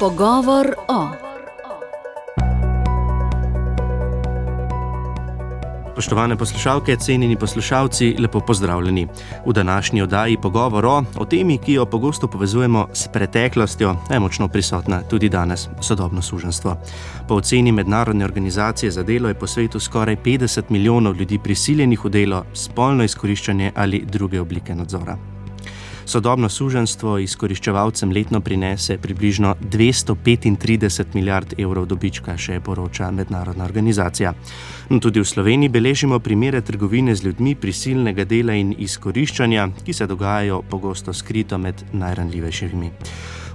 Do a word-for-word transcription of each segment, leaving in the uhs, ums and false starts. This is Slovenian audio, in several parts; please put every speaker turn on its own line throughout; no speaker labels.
Pogovor o. Spoštovane poslušalke, cenjeni poslušalci, lepo pozdravljeni. V današnji oddaji Pogovor o, o temi, ki jo pogosto povezujemo s preteklostjo, je močno prisotna tudi danes, sodobno suženjstvo. Po oceni Mednarodne organizacije za delo je po svetu skoraj petdeset milijonov ljudi prisiljenih v delo, spolno izkoriščanje ali druge oblike nadzora. Sodobno suženjstvo izkoriščevalcem letno prinese približno dvesto petintrideset milijard evrov dobička, še poroča mednarodna organizacija. No, tudi v Sloveniji beležimo primere trgovine z ljudmi, prisilnega dela in izkoriščanja, ki se dogajajo pogosto skrito med najranljivejšimi.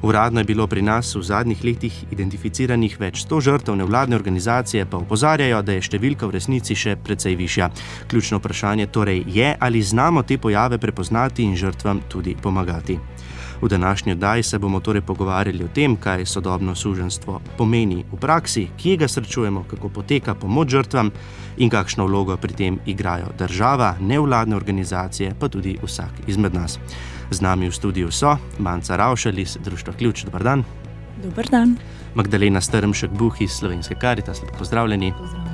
Uradno je bilo pri nas v zadnjih letih identificiranih več sto žrtev, nevladne organizacije pa opozarjajo, da je številka v resnici še precej višja. Ključno vprašanje torej je, ali znamo te pojave prepoznati in žrtvam tudi pomagati. V današnji oddaji se bomo torej pogovarjali o tem, kaj sodobno suženjstvo pomeni v praksi, kje ga srečujemo, kako poteka pomoč žrtvam in kakšno vlogo pri tem igrajo država, nevladne organizacije, pa tudi vsak izmed nas. Z nami v studiu so Manca Ravšelj iz Društva Ključ, dober dan.
Dober dan.
Magdalena Strmšek-Buh iz Slovenske Karitas, lepo pozdravljeni.
Pozdravljeni.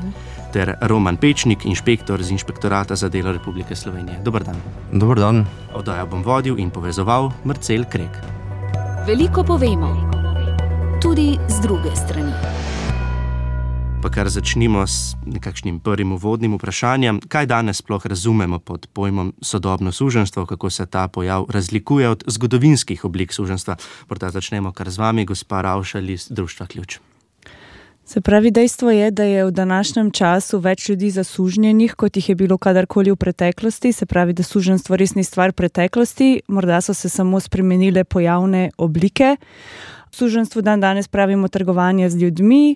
Ter Roman Pečnik, inšpektor z Inšpektorata za delo Republike Slovenije. Dober dan.
Dober dan.
Oddajo bom vodil in povezoval Marcel Krek.
Veliko povemo, tudi z druge strani.
Pa kar začnimo s nekakšnim prvim uvodnim vprašanjem. Kaj danes sploh razumemo pod pojmom sodobno suženjstvo, kako se ta pojav razlikuje od zgodovinskih oblik suženjstva? Morda začnemo kar z vami, gospa Ravšelj iz Društva Ključ.
Se pravi, dejstvo je, da je v današnjem času več ljudi zasužnjenih, kot jih je bilo kadarkoli v preteklosti. Se pravi, da suženjstvo res ni stvar preteklosti, morda so se samo spremenile pojavne oblike. Suženjstvu dan danes pravimo trgovanje z ljudmi.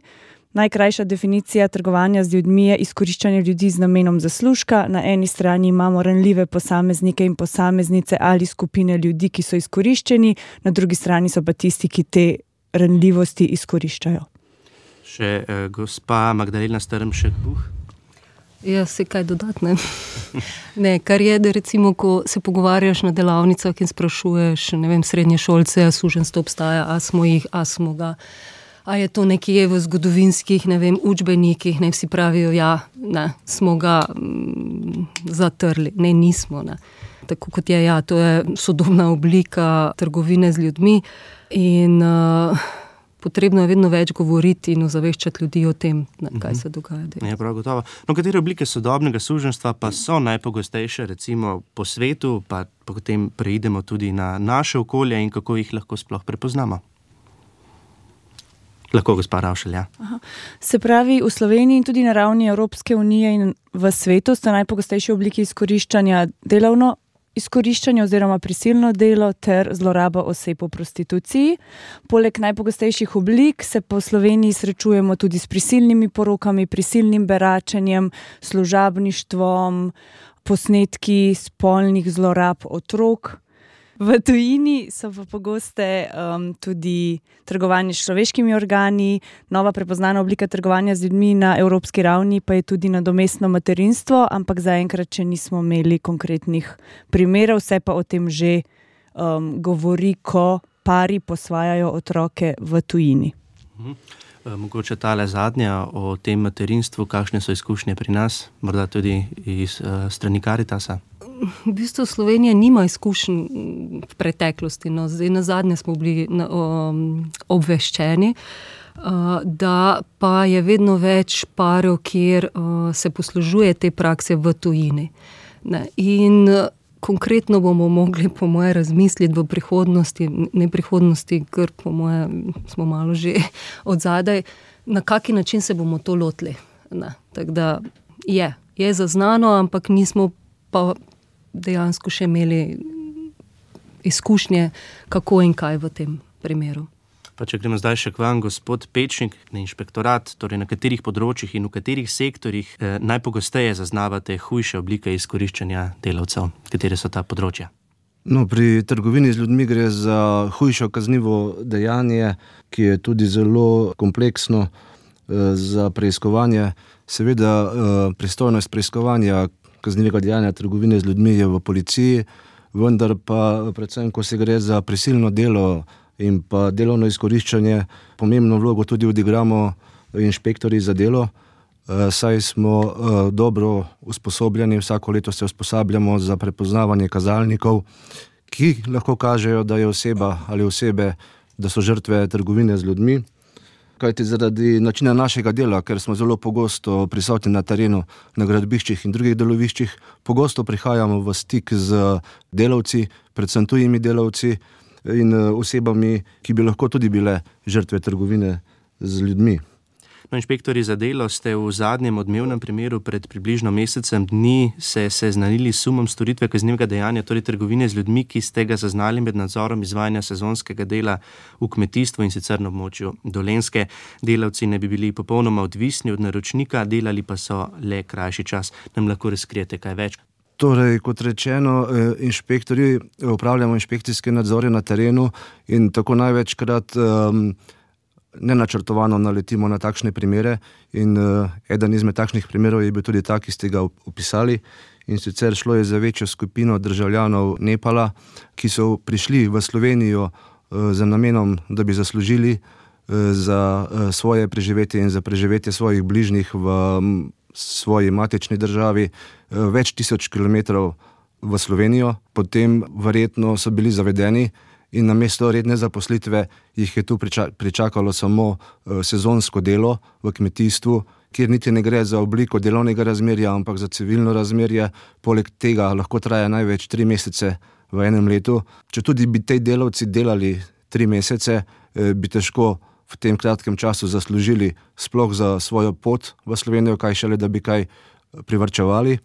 Najkrajša definicija trgovanja z ljudmi je izkoriščanje ljudi z namenom zaslužka. Na eni strani imamo ranljive posameznike in posameznice ali skupine ljudi, ki so izkoriščeni, na drugi strani so pa tisti, ki te ranljivosti izkoriščajo.
Še eh, gospa Magdalena Strmšek-Buh.
Ja, se kaj dodatne. Ne, kar je, da recimo, ko se pogovarjaš na delavnicah in sprašuješ, ne vem, srednje šolce, a suženjstvo obstaja, a smo jih, a smo ga. A je to nekje v zgodovinskih, ne vem, učbenikih, ne, vsi pravijo, ja, ne, smo ga mm, zatrli. Ne, nismo, ne. Tako kot je, ja, to je sodobna oblika trgovine z ljudmi in uh, potrebno je vedno več govoriti in ozaveščati ljudi o tem, ne, kaj se dogaja.
Ja, prav gotovo. No, katere oblike sodobnega suženjstva pa so najpogostejše, recimo po svetu, pa potem preidemo tudi na naše okolje in kako jih lahko sploh prepoznamo? Lahko, gospa Ravšelj, ja.
Aha. Se pravi, v Sloveniji in tudi na ravni Evropske unije in v svetu sta najpogostejše obliki izkoriščanja delovno izkoriščanje oziroma prisilno delo ter zloraba oseb v prostituciji. Poleg najpogostejših oblik se po Sloveniji srečujemo tudi s prisilnimi porokami, prisilnim beračenjem, služabništvom, posnetki spolnih zlorab otrok. V tujini so pa pogoste um, tudi trgovanje s človeškimi organi, nova prepoznana oblika trgovanja z ljudmi na evropski ravni pa je tudi nadomestno materinstvo, ampak zaenkrat še nismo imeli konkretnih primerov, vse pa o tem že um, govori, ko pari posvajajo otroke v tujini.
Mhm. Mogoče tale zadnja o tem materinstvu, kakšne so izkušnje pri nas, morda tudi iz uh, strani Karitasa?
V bistvu Slovenija nima izkušenj v preteklosti. No. Zdaj na zadnje smo bili na, um, obveščeni, uh, da pa je vedno več parov, kjer uh, se poslužuje te prakse v tujini. Ne. In uh, konkretno bomo mogli, po moje, razmisliti v prihodnosti, ne prihodnosti, ker po moje smo malo že odzadaj, na kaki način se bomo to lotili. Tako da je, je zaznano, ampak nismo pa dejansko še imeli izkušnje, kako in kaj v tem primeru.
Pa če gremo zdaj še k vam, gospod Pečnik, na inšpektorat, torej na katerih področjih in v katerih sektorjih eh, najpogosteje zaznavate hujše oblike izkoriščanja delavcev? Katere so ta področja?
No, pri trgovini z ljudmi gre za hujšo kaznivo dejanje, ki je tudi zelo kompleksno eh, za preiskovanje. Seveda eh, pristojnost preiskovanja kaznivega dejanja trgovine z ljudmi je v policiji, vendar pa predvsem, ko se gre za prisilno delo in pa delovno izkoriščanje pomembno vlogo tudi odigramo inšpektorji za delo, saj smo dobro usposobljeni, vsako leto se usposabljamo za prepoznavanje kazalnikov, ki lahko kažejo, da je oseba ali osebe, da so žrtve trgovine z ljudmi. Kajti zaradi načina našega dela, ker smo zelo pogosto prisotni na terenu, na gradbiščih in drugih deloviščih, pogosto prihajamo v stik z delavci, predvsem tujimi delavci in osebami, ki bi lahko tudi bile žrtve trgovine z ljudmi.
No, inšpektorji za delo ste v zadnjem odmevnem primeru pred približno mesecem dni se seznanili s sumom storitve kaznivega dejanja, torej trgovine z ljudmi, ki ste ga zaznali med nadzorom izvajanja sezonskega dela v kmetijstvu in sicer na območju Dolenjske. Delavci ne bi bili popolnoma odvisni od naročnika, delali pa so le krajši čas. Nam lahko razkrijete kaj več?
Torej, kot rečeno, inšpektorji upravljamo inšpekcijske nadzore na terenu in tako največkrat um, nenačrtovano naletimo na takšne primere in uh, eden izmed takšnih primerov je bil tudi tak, ki ste ga opisali, in sicer šlo je za večjo skupino državljanov Nepala, ki so prišli v Slovenijo uh, za namenom, da bi zaslužili uh, za uh, svoje preživetje in za preživetje svojih bližnjih v um, svoji matični državi uh, več tisoč kilometrov v Slovenijo, potem verjetno so bili zavedeni in namesto redne zaposlitve jih je tu pričakalo samo sezonsko delo v kmetijstvu, kjer niti ne gre za obliko delovnega razmerja, ampak za civilno razmerje. Poleg tega lahko traja največ tri mesece v enem letu. Če tudi bi tej delavci delali tri mesece, bi težko v tem kratkem času zaslužili sploh za svojo pot v Slovenijo, kaj šele, da bi kaj privarčevali.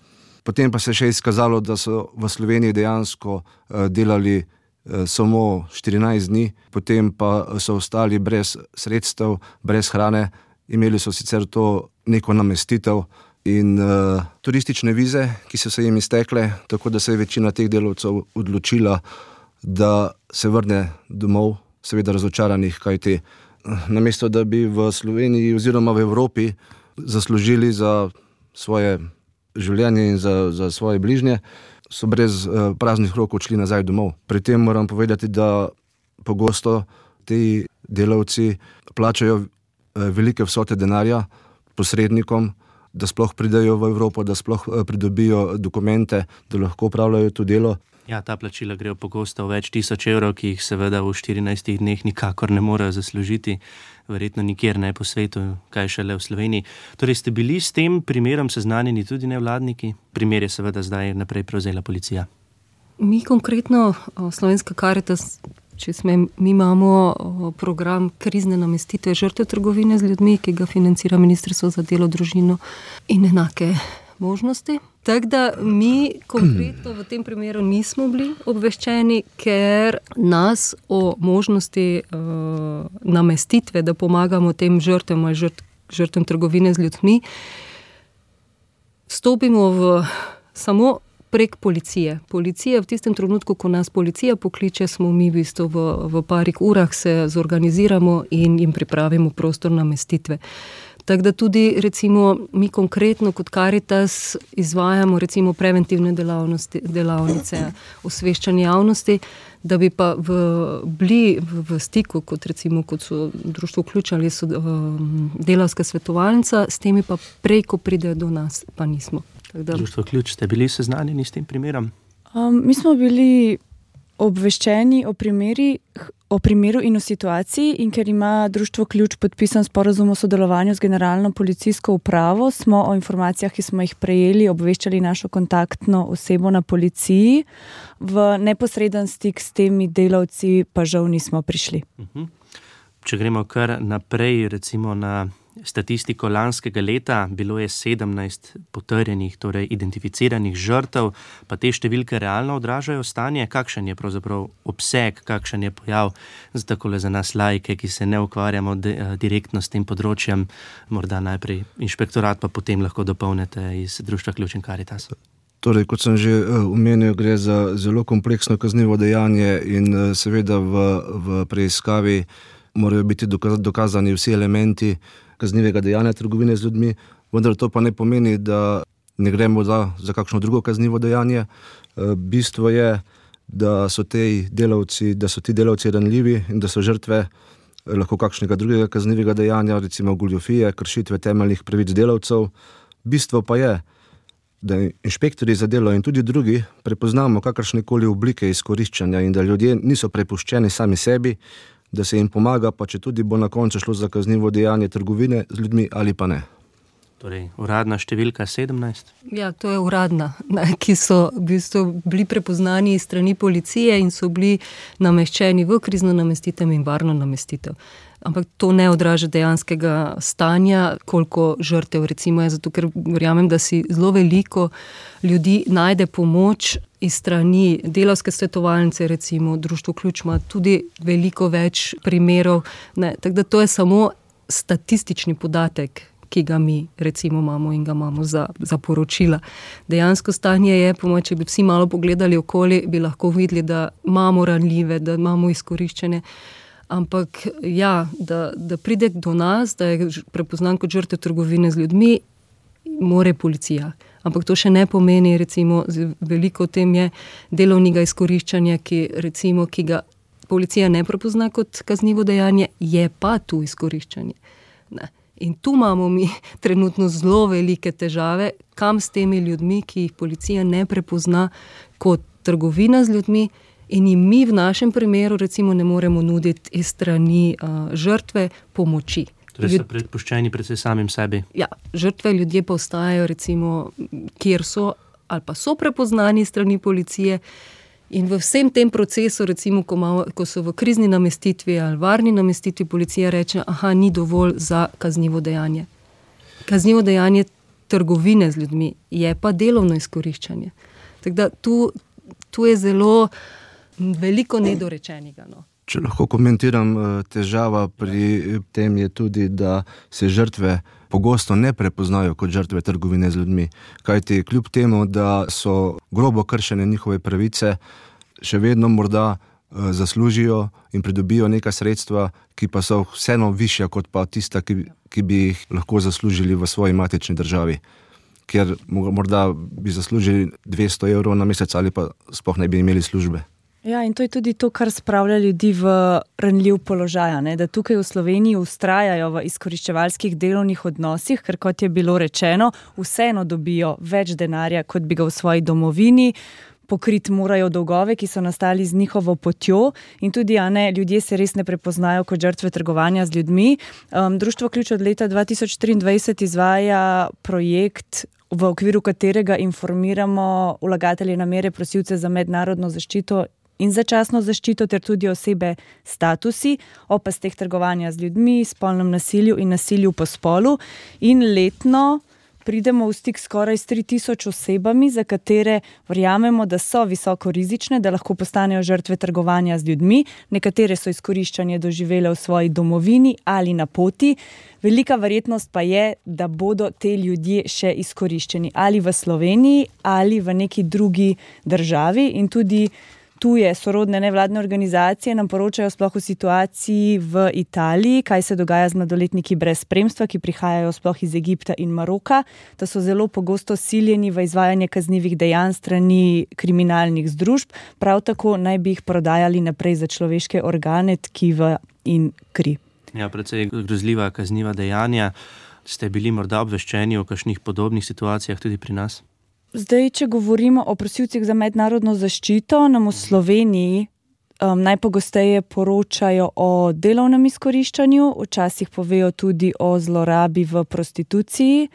Potem pa se še izkazalo, da so v Sloveniji dejansko delali samo štirinajst dni, potem pa so ostali brez sredstev, brez hrane, imeli so sicer to neko namestitev in uh, turistične vize, ki so se jim iztekle, tako da se je večina teh delavcev odločila, da se vrne domov, seveda razočaranih, kajti namesto da bi v Sloveniji oziroma v Evropi zaslužili za svoje življenje in za, za svoje bližnje, so brez uh, praznih rok odšli nazaj domov. Pri tem moram povedati, da pogosto ti delavci plačajo uh, velike vsote denarja posrednikom, da sploh pridejo v Evropo, da sploh uh, pridobijo dokumente, da lahko opravljajo to delo.
Ja, ta plačila grejo pogosto v več tisoč evrov, ki jih seveda v štirinajstih dneh nikakor ne morejo zaslužiti, verjetno nikjer ne po svetu, kaj šele v Sloveniji. Torej ste bili s tem primerom seznanjeni tudi nevladniki? Primer je seveda zdaj naprej prevzela policija.
Mi konkretno, Slovenska Karitas, če smem, mi imamo program krizne namestitve žrtev trgovine z ljudmi, ki ga financira Ministrstvo za delo, družino in enake možnosti. Tako da mi konkretno v tem primeru nismo bili obveščeni, ker nas o možnosti uh, namestitve, da pomagamo tem žrtvam ali žrt, žrtvam trgovine z ljudmi, vstopimo v samo prek policije. Policija v tistem trenutku, ko nas policija pokliče, smo mi v bistvu v, v parih urah se zorganiziramo in jim pripravimo prostor namestitve. Tako da tudi recimo mi konkretno kot Karitas izvajamo recimo preventivne delavnosti, delavnice, osveščanje javnosti, da bi pa v, bili v, v stiku, kot recimo kot so društvo Ključ ali so um, delavska svetovalnica, s temi pa prej, ko pridejo do nas, pa nismo. Da...
Društvo Ključ, ste bili seznanjeni s tem primerom?
Um, mi smo bili obveščeni o primeri, o primeru in o situaciji, in ker ima Društvo Ključ podpisan sporazum o sodelovanju z Generalno policijsko upravo, smo o informacijah, ki smo jih prejeli, obveščali našo kontaktno osebo na policiji. V neposreden stik s temi delavci pa žal nismo prišli.
Uh-huh. Če gremo kar naprej, recimo na statistiko lanskega leta, bilo je sedemnajst potrjenih, torej identificiranih žrtev, pa te številke realno odražajo stanje. Kakšen je pravzaprav obseg, kakšen je pojav, za takole za nas laike, ki se ne ukvarjamo de, direktno s tem področjem, morda najprej inšpektorat, pa potem lahko dopolnite iz Društva Ključ in Karitas.
Torej, kot sem že omenil, gre za zelo kompleksno kaznivo dejanje in seveda v, v preiskavi morajo biti dokazani vsi elementi kaznivega dejanja trgovine z ljudmi, vendar to pa ne pomeni, da ne gremo za, za kakšno drugo kaznivo dejanje. Bistvo je, da so ti delavci, da so ti delavci ranljivi in da so žrtve lahko kakšnega drugega kaznivega dejanja, recimo goljufije, kršitve temeljnih pravic delavcev. Bistvo pa je, da inšpektorji za delo in tudi drugi prepoznamo kakršnekoli oblike izkoriščanja in da ljudje niso prepuščeni sami sebi, da se jim pomaga, pa če tudi bo na koncu šlo za kaznivo dejanje trgovine z ljudmi ali pa ne.
Torej, uradna številka sedemnajst?
Ja, to je uradna, ne, ki so v bistvu bili prepoznani iz strani policije in so bili nameščeni v krizno namestitev in varno namestitev. Ampak to ne odraža dejanskega stanja, koliko žrtev recimo je, zato ker verjamem, da si zelo veliko ljudi najde pomoč iz strani delavske svetovalnice, recimo Društvo Ključ ima tudi veliko več primerov, ne, tako da to je samo statistični podatek, ki ga mi recimo imamo in ga imamo za, za poročila. Dejansko stanje je, po mojem, če bi vsi malo pogledali okoli, bi lahko videli, da imamo ranljive, da imamo izkoriščene. Ampak ja, da, da pride do nas, da je prepoznan kot žrtev trgovine z ljudmi, more policija. Ampak to še ne pomeni, recimo, veliko v tem je delovnega izkoriščanja, ki, recimo, ki ga policija ne prepozna kot kaznivo dejanje, je pa tu izkoriščanje. Ne. In tu imamo mi trenutno zelo velike težave, kam s temi ljudmi, ki jih policija ne prepozna kot trgovina z ljudmi, in jim mi v našem primeru recimo ne moremo nuditi iz strani uh, žrtve pomoči.
Torej so predpuščeni predvsem samim sebi.
Ja, žrtve ljudje pa ostajajo recimo, kjer so, ali pa so prepoznani strani policije, in v vsem tem procesu, recimo, ko, malo, ko so v krizni namestitvi ali varni namestitvi, policija reče, aha, ni dovolj za kaznivo dejanje. Kaznivo dejanje trgovine z ljudmi je pa delovno izkoriščanje. Tako da tu, tu je zelo veliko nedorečenega. No.
Če lahko komentiram, težava pri tem je tudi, da se žrtve pogosto ne prepoznajo kot žrtve trgovine z ljudmi. Kajti kljub temu, da so grobo kršene njihove pravice, še vedno morda zaslužijo in pridobijo neka sredstva, ki pa so vseeno višja kot pa tista, ki, ki bi jih lahko zaslužili v svoji matični državi. Ker morda bi zaslužili dvesto evrov na mesec ali pa sploh ne bi imeli službe.
Ja, in to je tudi to, kar spravlja ljudi v ranljiv položaj, ne? Da tukaj v Sloveniji ustrajajo v izkoriščevalskih delovnih odnosih, ker kot je bilo rečeno, vseeno dobijo več denarja, kot bi ga v svoji domovini, pokriti morajo dolgove, ki so nastali z njihovo potjo, in tudi a ne, ljudje se res ne prepoznajo kot žrtve trgovanja z ljudmi. Um, Društvo Ključ od leta dva tisoč triindvajset izvaja projekt, v okviru katerega informiramo vlagatelje namere prosilce za mednarodno zaščito in začasno zaščito ter tudi osebe statusi o pasteh trgovanja z ljudmi, spolnem nasilju in nasilju po spolu, in letno pridemo v stik skoraj s tri tisoč osebami, za katere verjamemo, da so visoko rizične, da lahko postanejo žrtve trgovanja z ljudmi. Nekatere so izkoriščanje doživele v svoji domovini ali na poti. Velika verjetnost pa je, da bodo te ljudje še izkoriščeni ali v Sloveniji ali v neki drugi državi, in tudi tuje sorodne nevladne organizacije nam poročajo sploh o situaciji v Italiji, kaj se dogaja z mladoletniki brez spremstva, ki prihajajo sploh iz Egipta in Maroka, da so zelo pogosto siljeni v izvajanje kaznivih dejanj strani kriminalnih združb, prav tako naj bi jih prodajali naprej za človeške organe, tkiva in kri.
Ja, precej grozljiva kazniva dejanja. Ste bili morda obveščeni o kakšnih podobnih situacijah tudi pri nas?
Zdaj, če govorimo o prosilcih za mednarodno zaščito, nam v Sloveniji um, najpogosteje poročajo o delovnem izkoriščanju, včasih povejo tudi o zlorabi v prostituciji.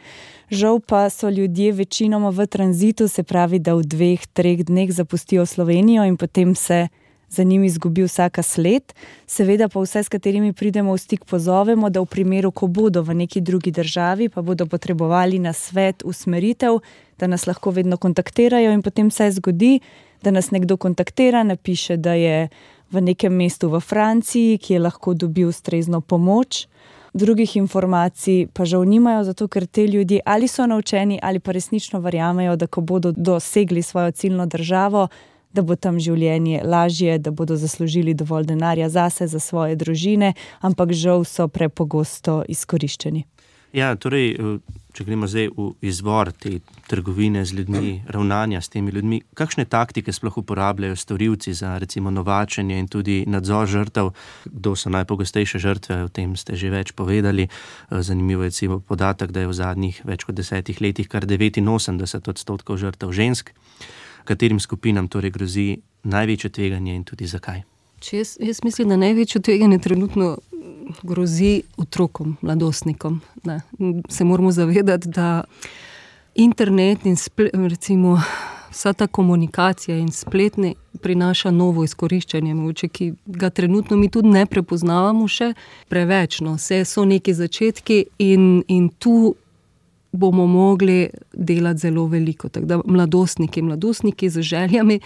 Žal pa so ljudje večinoma v tranzitu, se pravi, da v dveh, treh dneh zapustijo Slovenijo in potem se za njimi izgubi vsaka sled. Seveda pa vse, s katerimi pridemo v stik, pozovemo, da v primeru, ko bodo v neki drugi državi, pa bodo potrebovali nasvet, usmeritev, da nas lahko vedno kontaktirajo, in potem se zgodi, da nas nekdo kontaktira, napiše, da je v nekem mestu v Franciji, ki je lahko dobil ustrezno pomoč. Drugih informacij pa žal nimajo, zato ker te ljudje ali so naučeni ali pa resnično verjamejo, da ko bodo dosegli svojo ciljno državo, da bo tam življenje lažje, da bodo zaslužili dovolj denarja zase, za svoje družine, ampak žal so prepogosto izkoriščeni.
Ja, torej če gremo zdaj v izvor te trgovine z ljudmi, ravnanja s temi ljudmi, kakšne taktike sploh uporabljajo storilci za recimo novačenje in tudi nadzor žrtev, kdo so najpogostejše žrtve, o tem ste že več povedali. Zanimivo je recimo podatek, da je v zadnjih več kot desetih letih kar devetinosemdeset odstotkov žrtev žensk. Katerim skupinam torej grozi največje tveganje in tudi zakaj?
Jaz, jaz mislim, da največje tveganje trenutno grozi otrokom, mladostnikom. Ne. Se moramo zavedati, da internet in splet, recimo vsa ta komunikacija in spletne prinaša novo izkoriščanje, mogoče, ki ga trenutno mi tudi ne prepoznavamo še preveč. No. Vse so neki začetki in, in tu bomo mogli delati zelo veliko. Tako da mladostniki, mladostniki z željami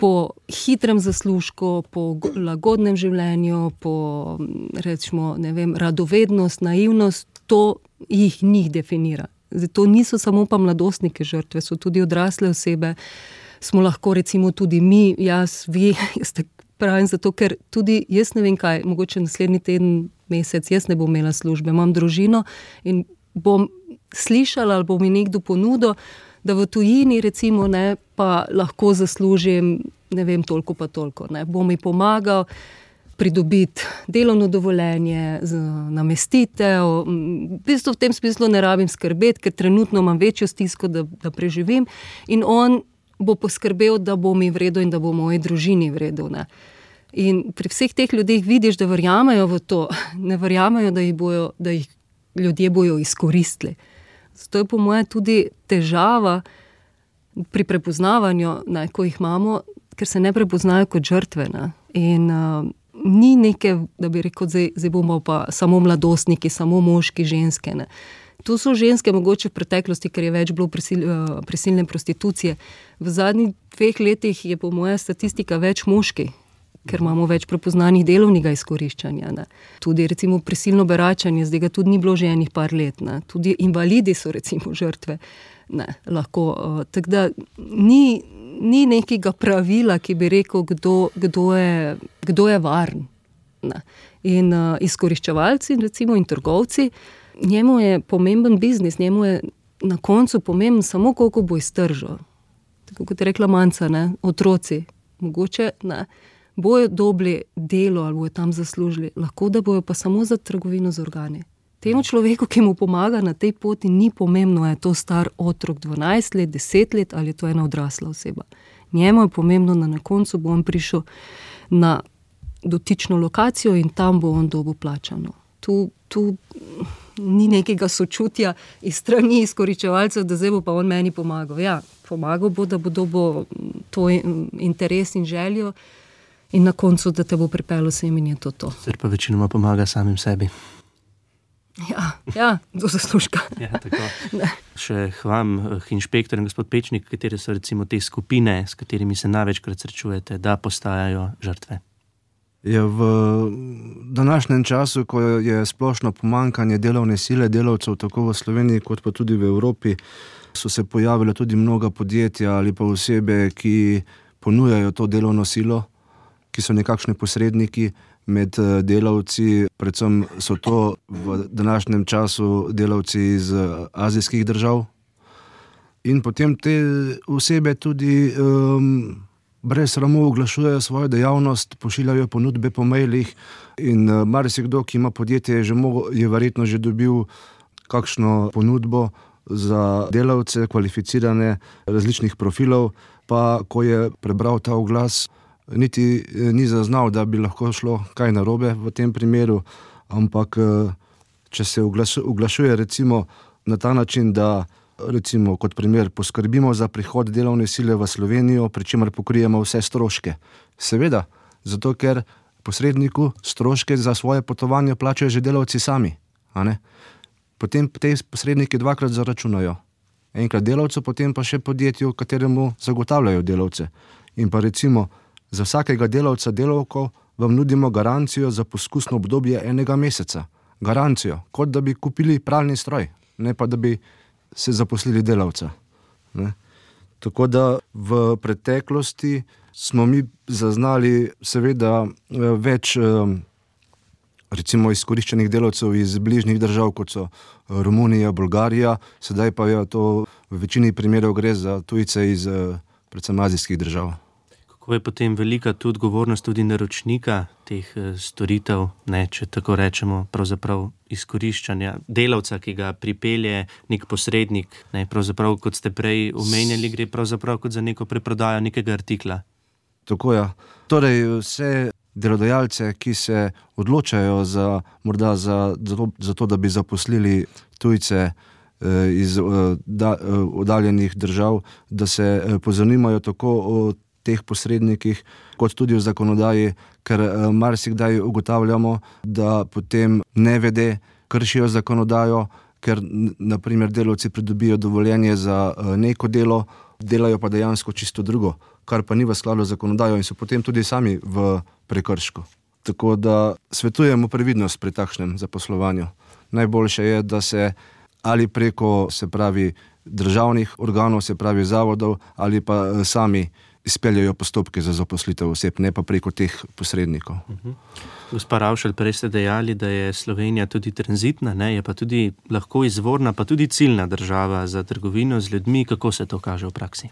po hitrem zaslužku, po lagodnem življenju, po rečemo, ne vem, radovednost, naivnost, to jih njih definira. Zdaj, to niso samo pa mladostnike žrtve, so tudi odrasle osebe, smo lahko recimo tudi mi, jaz, vi, jaz te pravim zato, ker tudi jaz ne vem kaj, mogoče naslednji teden, mesec, jaz ne bom imela službe, imam družino in bom slišala ali bo mi nekdo ponudil, da v tujini recimo ne, pa lahko zaslužim, ne vem, toliko pa toliko. Ne. Bo mi pomagal pridobiti delovno dovoljenje, namestitev. V bistvu v tem smislu ne rabim skrbeti, ker trenutno imam večjo stisko, da, da preživim in on bo poskrbel, da bo mi v redu in da bo moji družini v redu. Ne. In pri vseh teh ljudeh vidiš, da verjamejo v to, ne verjamejo, da jih, bojo, da jih ljudje bojo izkoristili. Zato je po moje tudi težava pri prepoznavanju, ne, ko jih imamo, ker se ne prepoznajo kot žrtve. Ne. In uh, ni neke, da bi rekel, zdaj, zdaj bomo pa samo mladostniki, samo moški, ženske. Ne. Tu so ženske mogoče v preteklosti, ker je več bilo prisil, uh, prisilne prostitucije. V zadnjih dveh letih je po moje statistika več moški, ker imamo več prepoznanih delovnega izkoriščanja. Ne. Tudi recimo prisilno beračanje, zdaj ga tudi ni bilo že enih par let. Ne. Tudi invalidi so recimo žrtve. Ne, lahko, uh, tako da ni, ni nekega pravila, ki bi rekel, kdo, kdo, je, kdo je varen. Ne. In uh, izkoriščevalci recimo in trgovci, njemu je pomemben biznis, njemu je na koncu pomemben samo koliko bo iztržil. Tako kot je rekla Manca, ne, otroci, mogoče ne, bojo dobili delo ali bojo tam zaslužili, lahko da bojo pa samo za trgovino z organi. Temu človeku, ki mu pomaga na tej poti, ni pomembno, je to star otrok dvanajst let, deset let ali je to ena odrasla oseba. Njemu je pomembno, da na koncu bo on prišel na dotično lokacijo in tam bo on dobil plačano. Tu, tu ni nekega sočutja iz strani izkoriščevalcev, da zdaj bo pa on meni pomagal. Ja, pomagal bo, da bo dobil to interes in željo in na koncu, da te bo pripeljal sem in je to to.
Sicer pa večinoma pomaga samim sebi.
Ja, ja, do zaslužka.
Ja, tako. Še hvam, inšpektor in gospod Pečnik, katere so recimo te skupine, s katerimi se največkrat srečujete, da postajajo žrtve?
Ja, v današnjem času, ko je splošno pomanjkanje delovne sile delavcev, tako v Sloveniji kot pa tudi v Evropi, so se pojavile tudi mnoga podjetja ali pa osebe, ki ponujajo to delovno silo, ki so nekakšni posredniki med delavci, predvsem so to v današnjem času delavci iz azijskih držav. In potem te osebe tudi um, brez sramu oglašujejo svojo dejavnost, pošiljajo ponudbe po mailih in uh, marsikdo, ki ima podjetje, je, že mogo, je verjetno že dobil kakšno ponudbo za delavce, kvalificirane različnih profilov, pa ko je prebral ta oglas, niti ni zaznal, da bi lahko šlo kaj narobe v tem primeru, ampak če se oglašuje recimo na ta način, da recimo kot primer poskrbimo za prihod delovne sile v Slovenijo, pri čemer pokrijemo vse stroške. Seveda, zato ker posredniku stroške za svoje potovanje plačajo že delavci sami. A ne? Potem te posredniki dvakrat zaračunajo. Enkrat delavcu, potem pa še podjetju, kateremu zagotavljajo delavce. In pa recimo za vsakega delavca delavko vam nudimo garancijo za poskusno obdobje enega meseca. Garancijo, kot da bi kupili pralni stroj, ne pa da bi se zaposlili delavca. Ne? Tako da v preteklosti smo mi zaznali seveda več recimo izkoriščenih delavcev iz bližnjih držav, kot so Romunija, Bolgarija, sedaj pa je to v večini primerov gre za tujce iz predvsem azijskih držav.
Kako je potem velika tudi odgovornost tudi naročnika teh storitev, ne, če tako rečemo, pravzaprav izkoriščanja delavca, ki ga pripelje nek posrednik, ne, pravzaprav, kot ste prej omenjali, gre pravzaprav kot za neko preprodajo nekega artikla.
Tako je. Torej, vse delodajalce, ki se odločajo za, morda za, za, to, za to, da bi zaposlili tujce eh, iz eh, da, eh, oddaljenih držav, da se eh, pozanimajo tako o teh posrednikih, kot tudi v zakonodaji, ker eh, marsikdaj ugotavljamo, da potem nevede kršijo zakonodajo, ker naprimer delavci pridobijo dovoljenje za eh, neko delo, delajo pa dejansko čisto drugo, kar pa ni v skladu z zakonodajo in so potem tudi sami v prekršku. Tako da svetujemo previdnost pri takšnem zaposlovanju. Najboljše je, da se ali preko, se pravi, državnih organov, se pravi zavodov, ali pa eh, sami izpeljajo postopke za zaposlitev oseb, ne pa preko teh posrednikov.
Uh-huh. Gospa Ravšelj, prej ste dejali, da je Slovenija tudi tranzitna, ne, je pa tudi lahko izvorna, pa tudi ciljna država za trgovino z ljudmi. Kako se to kaže v praksi?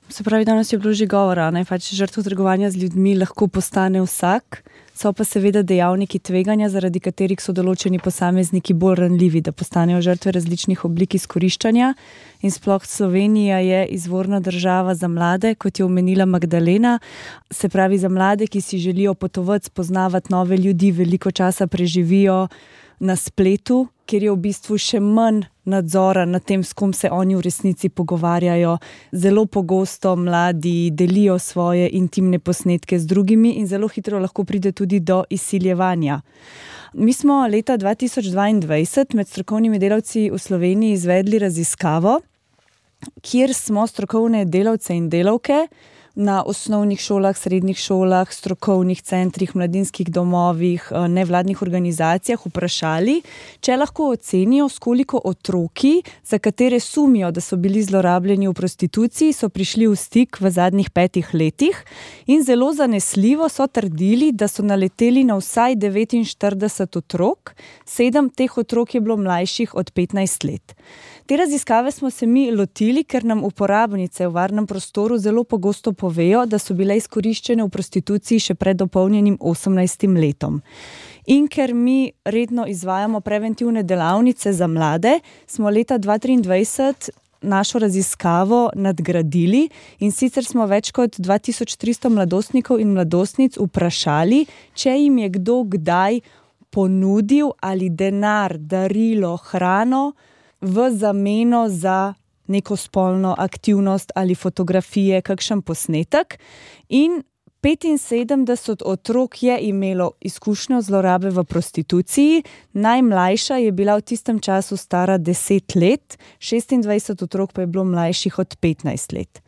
Se pravi, danes je bilo že govora, ne, pač žrtev trgovanja z ljudmi lahko postane vsak, so pa seveda dejavniki tveganja, zaradi katerih so določeni posamezniki bolj ranljivi, da postanejo žrtve različnih oblik izkoriščanja. In sploh Slovenija je izvorna država za mlade, kot je omenila Magdalena, se pravi za mlade, ki si želijo potovati, spoznavati nove ljudi, veliko časa preživijo na spletu, kjer je v bistvu še manj nadzora nad tem, s kom se oni v resnici pogovarjajo. Zelo pogosto mladi delijo svoje intimne posnetke z drugimi in zelo hitro lahko pride tudi do izsiljevanja. Mi smo leta dva tisoč dvaindvajset med strokovnimi delavci v Sloveniji izvedli raziskavo, kjer smo strokovne delavce in delavke na osnovnih šolah, srednjih šolah, strokovnih centrih, mladinskih domovih, nevladnih organizacijah vprašali, če lahko ocenijo, s koliko otroki, za katere sumijo, da so bili zlorabljeni v prostituciji, so prišli v stik v zadnjih petih letih in zelo zanesljivo so trdili, da so naleteli na vsaj devetinštirideset otrok, sedem teh otrok je bilo mlajših od petnajst let. Te raziskave smo se mi lotili, ker nam uporabnice v varnem prostoru zelo pogosto povejo, da so bile izkoriščene v prostituciji še pred dopolnjenim osemnajstim letom. In ker mi redno izvajamo preventivne delavnice za mlade, smo leta dva tisoč triindvajset našo raziskavo nadgradili in sicer smo več kot dva tisoč tristo mladostnikov in mladostnic vprašali, če jim je kdo kdaj ponudil ali denar, darilo, hrano v zameno za neko spolno aktivnost ali fotografije, kakšen posnetek. In petinsedemdeset otrok je imelo izkušnjo zlorabe v prostituciji, najmlajša je bila v tistem času stara deset let, šestindvajset otrok pa je bilo mlajših od petnajst let.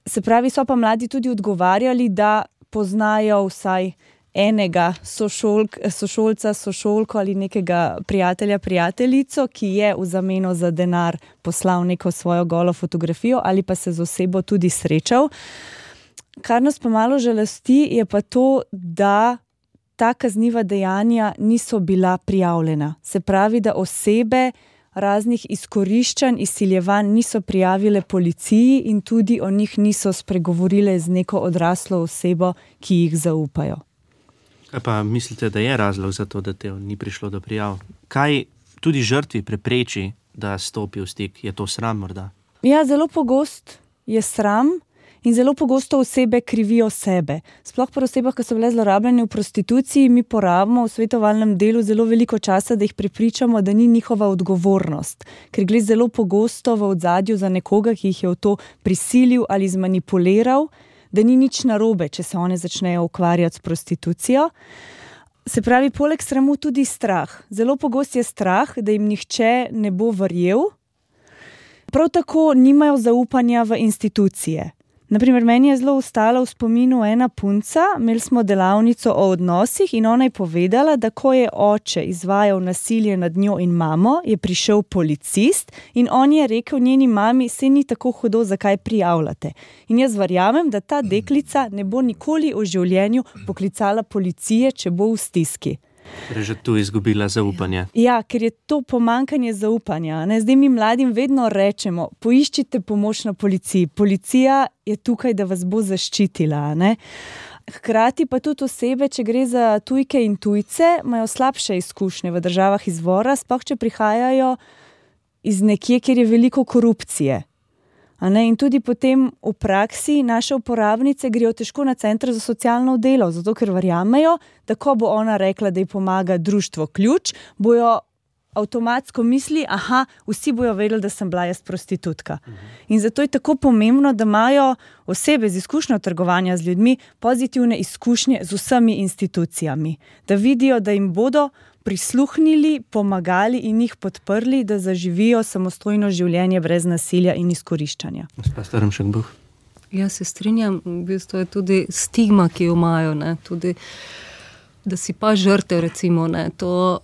Se pravi, so pa mladi tudi odgovarjali, da poznajo vsaj enega sošolk, sošolca, sošolko ali nekega prijatelja, prijateljico, ki je v zameno za denar poslal neko svojo golo fotografijo ali pa se z osebo tudi srečal. Kar nas pa malo žalosti, je pa to, da ta kazniva dejanja niso bila prijavljena. Se pravi, da osebe raznih izkoriščanj, izsiljevanj niso prijavile policiji in tudi o njih niso spregovorile z neko odraslo osebo, ki jih zaupajo.
Kaj pa mislite, da je razlog za to, da te ni prišlo do prijav? Kaj tudi žrtvi prepreči, da stopi v stik? Je to sram morda?
Ja, zelo pogost je sram in zelo pogosto osebe krivijo sebe. Sploh pri osebah, ki so bile zlorabljene v prostituciji, mi porabimo v svetovalnem delu zelo veliko časa, da jih prepričamo, da ni njihova odgovornost. Ker gre zelo pogosto v ozadju za nekoga, ki jih je v to prisilil ali zmanipuliral, da ni nič narobe, če se one začnejo ukvarjati s prostitucijo. Se pravi, poleg sramu tudi strah. Zelo pogost je strah, da jim nihče ne bo verjel. Prav tako nimajo zaupanja v institucije. Naprimer, meni je zelo ostala v spominu ena punca, imeli smo delavnico o odnosih in ona je povedala, da ko je oče izvajal nasilje nad njo in mamo, je prišel policist in on je rekel njeni mami, saj ni tako hudo, zakaj prijavljate. In jaz verjamem, da ta deklica ne bo nikoli v življenju poklicala policije, če bo v stiski.
Torej že tu izgubila zaupanje.
Ja, ker je to pomanjkanje zaupanja. Ne? Zdaj mi mladim vedno rečemo, poiščite pomoč na policiji. Policija je tukaj, da vas bo zaščitila. Ne? Hkrati pa tudi osebe, če gre za tujke in tujce, imajo slabše izkušnje v državah izvora, sploh če prihajajo iz nekje, kjer je veliko korupcije. A ne? In tudi potem v praksi naše uporabnice grejo težko na center za socialno delo, zato ker verjamejo, da ko bo ona rekla, da ji pomaga društvo Ključ, bojo avtomatsko misli, aha, vsi bojo vedeli, da sem bila jaz prostitutka. In zato je tako pomembno, da imajo osebe z izkušnjo trgovanja z ljudmi pozitivne izkušnje z vsemi institucijami. Da vidijo, da jim bodo prisluhnili, pomagali in jih podprli, da zaživijo samostojno življenje brez nasilja in izkoriščanja.
Gospa Strmšek-Buh.
Ja, se strinjam, v bistvu je tudi stigma, ki jo imajo, ne, tudi, da si pa žrtev, recimo, ne, to